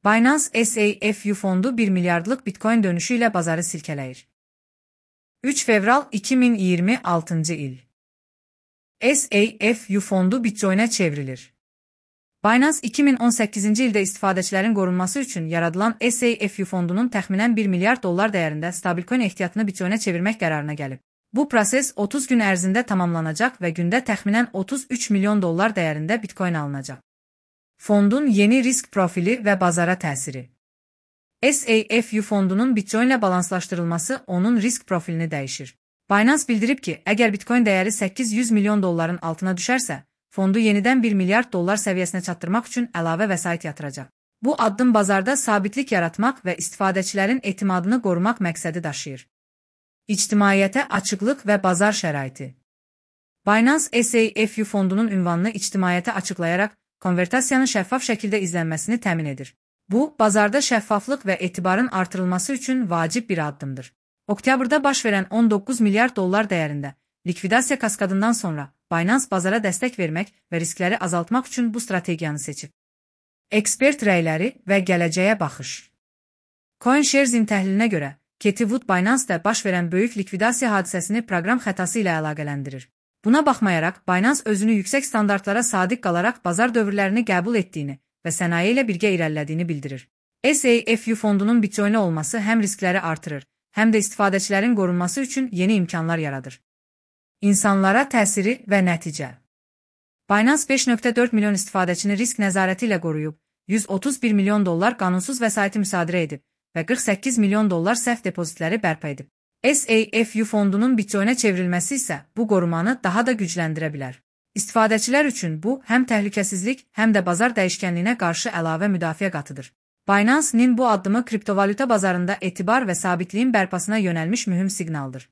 Binance SAFU fondu 1 milyardlık Bitcoin dönüşüyle bazarı silkeləyir. 3 fevral 2026 il. SAFU fondu Bitcoin'e çevrilir. Binance 2018-ci ildə istifadəçilərin qorunması üçün yaradılan SAFU fondunun təxminən 1 milyard dollar dəyərində stablecoin ehtiyatını Bitcoin'e çevirmək qərarına gəlib. Bu proses 30 gün ərzində tamamlanacaq və gündə təxminən 33 milyon dollar dəyərində Bitcoin alınacaq. Fondun yeni risk profili və bazara təsiri. SAFU fondunun Bitcoin ilə balanslaşdırılması onun risk profilini dəyişir. Binance bildirib ki, əgər Bitcoin dəyəri 800 milyon dolların altına düşərsə, fondu yenidən 1 milyard dollar səviyyəsinə çatdırmaq üçün əlavə vəsait yatıracaq. Bu addım bazarda sabitlik yaratmaq və istifadəçilərin etimadını qorumaq məqsədi daşıyır. İctimaiyyətə açıqlıq və bazar şəraiti. Binance SAFU fondunun ünvanını ictimaiyyətə açıqlayaraq, konvertasiyanın şəffaf şəkildə izlənməsini təmin edir. Bu, bazarda şəffaflıq və etibarın artırılması üçün vacib bir addımdır. Oktyabrda baş verən 19 milyard dollar dəyərində likvidasiya kaskadından sonra Binance bazara dəstək vermək və riskləri azaltmaq üçün bu strategiyanı seçib. Ekspert rəyləri və gələcəyə baxış. CoinShares-in təhlilinə görə, Cathie Wood Binance-da baş verən böyük likvidasiya hadisəsini proqram xətası ilə əlaqələndirir. Buna baxmayaraq, Binance özünü yüksək standartlara sadiq qalaraq bazar dövrlərini qəbul etdiyini və sənaye ilə birgə irəlilədiyini bildirir. SAFU fondunun Bitcoin-i olması həm riskləri artırır, həm də istifadəçilərin qorunması üçün yeni imkanlar yaradır. İnsanlara təsiri və nəticə. Binance 5.4 milyon istifadəçini risk nəzarəti ilə qoruyub, 131 milyon dollar qanunsuz vəsaiti müsadirə edib və 48 milyon dollar səhv depozitləri bərpa edib. SAFU fondunun Bitcoin-ə çevrilməsi isə bu qorumanı daha da gücləndirə bilər. İstifadəçilər üçün bu, həm təhlükəsizlik, həm də bazar dəyişkənliyinə qarşı əlavə müdafiə qatıdır. Binance-nin bu addımı kriptovalyuta bazarında etibar və sabitliyin bərpasına yönəlmiş mühüm siqnaldır.